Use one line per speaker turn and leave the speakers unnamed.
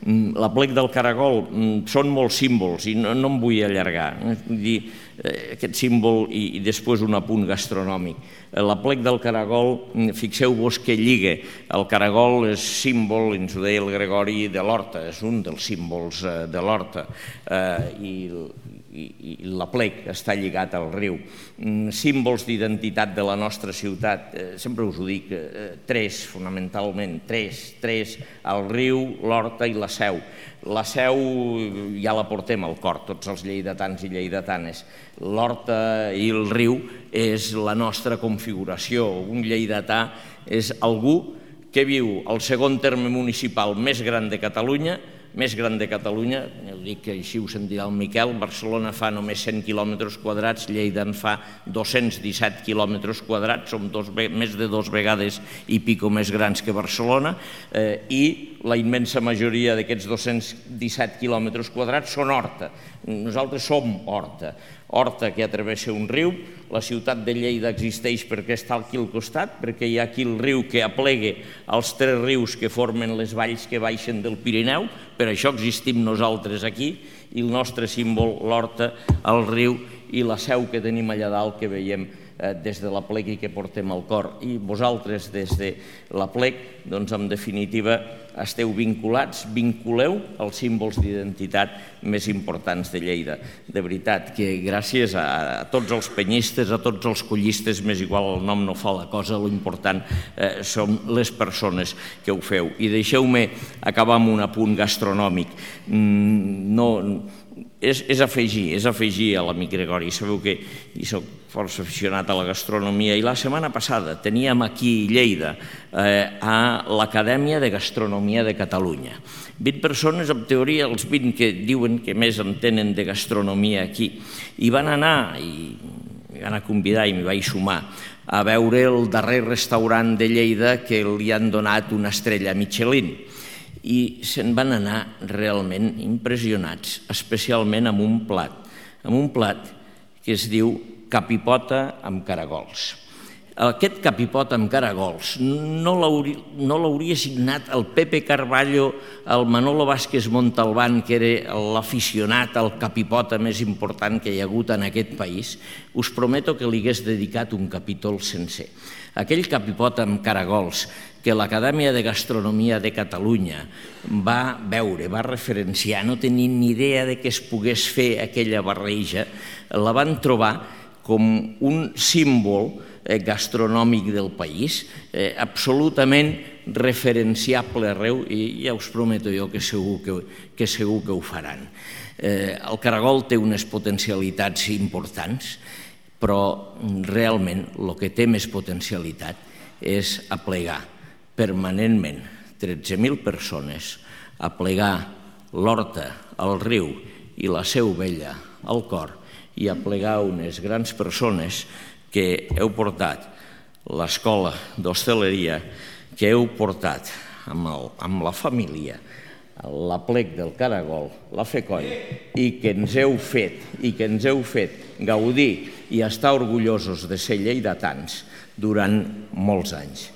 L'aplec del caragol són molts símbols i no em vull allargar. Aquest símbol i després un apunt gastronòmic. L'aplec del caragol, fixeu-vos que lliga. El caragol és símbol, ens ho deia el Gregori, de l'horta, és un dels símbols de l'horta. I l'aplec està lligat al riu. Símbols d'identitat de la nostra ciutat, sempre us ho dic, tres, fonamentalment, tres, el riu, l'horta i la Seu. La Seu ja la portem al cor, tots els lleidatans i lleidatanes. L'horta i el riu és la nostra configuració. Un lleidatà és algú que viu al segon terme municipal més gran de Catalunya, ho dic que així ho sentirà el Miquel, Barcelona fa només 100 quilòmetres quadrats, Lleida en fa 217 quilòmetres quadrats, som més de 2 vegades i pico més grans que Barcelona, i la immensa majoria d'aquests 217 quilòmetres quadrats són horta. Nosaltres som horta. Horta que travessa un riu, la ciutat de Lleida existeix perquè està aquí al costat, perquè hi ha aquí el riu que aplega els 3 rius que formen les valls que baixen del Pirineu, per això existim nosaltres aquí, i el nostre símbol, l'horta, el riu i la Seu que tenim allà dalt que veiem des de l'aplec i que portem al cor. I vosaltres des de l'aplec, doncs en definitiva, esteu vinculeu els símbols d'identitat més importants de Lleida. De veritat que gràcies a tots els penyistes, a tots els collistes, m'és igual el nom, no fa la cosa, l'important són les persones que ho feu. I deixeu-me acabar amb un apunt gastronòmic. És afegir a l'amic Gregori. Sabeu que hi soc força aficionat a la gastronomia i la setmana passada teníem aquí a Lleida a l'Acadèmia de Gastronomia de Catalunya. 20 persones, en teoria, els 20 que diuen que més entenen de gastronomia aquí. I van anar, i m'hi van convidar i m'hi vaig sumar, a veure el darrer restaurant de Lleida que li han donat una estrella Michelin. I se'n van anar realment impressionats, especialment amb un plat que es diu capipota amb caragols. Aquest capipota amb caragols no l'hauria signat el Pepe Carballo, el Manolo Vázquez Montalbán, que era l'aficionat al capipota més important que hi ha hagut en aquest país. Us prometo que li hagués dedicat un capítol sencer. Aquell capipota amb caragols que l'Acadèmia de Gastronomia de Catalunya va veure, va referenciar, no tenint ni idea de que es pogués fer aquella barreja, la van trobar com un símbol gastronòmic del país, absolutament referenciable arreu, i ja us prometo jo que segur que ho faran. El caragol té unes potencialitats importants, però realment el que té més potencialitat és aplegar permanentment 13.000 persones, aplegar l'horta, el riu i la Seu Vella al cor i aplegar unes grans persones que heu portat l'escola d'hostaleria, que heu portat amb la família l'aplec del caragol, la FECOI, i que ens heu fet gaudir i estar orgullosos de ser lleidatans durant molts anys.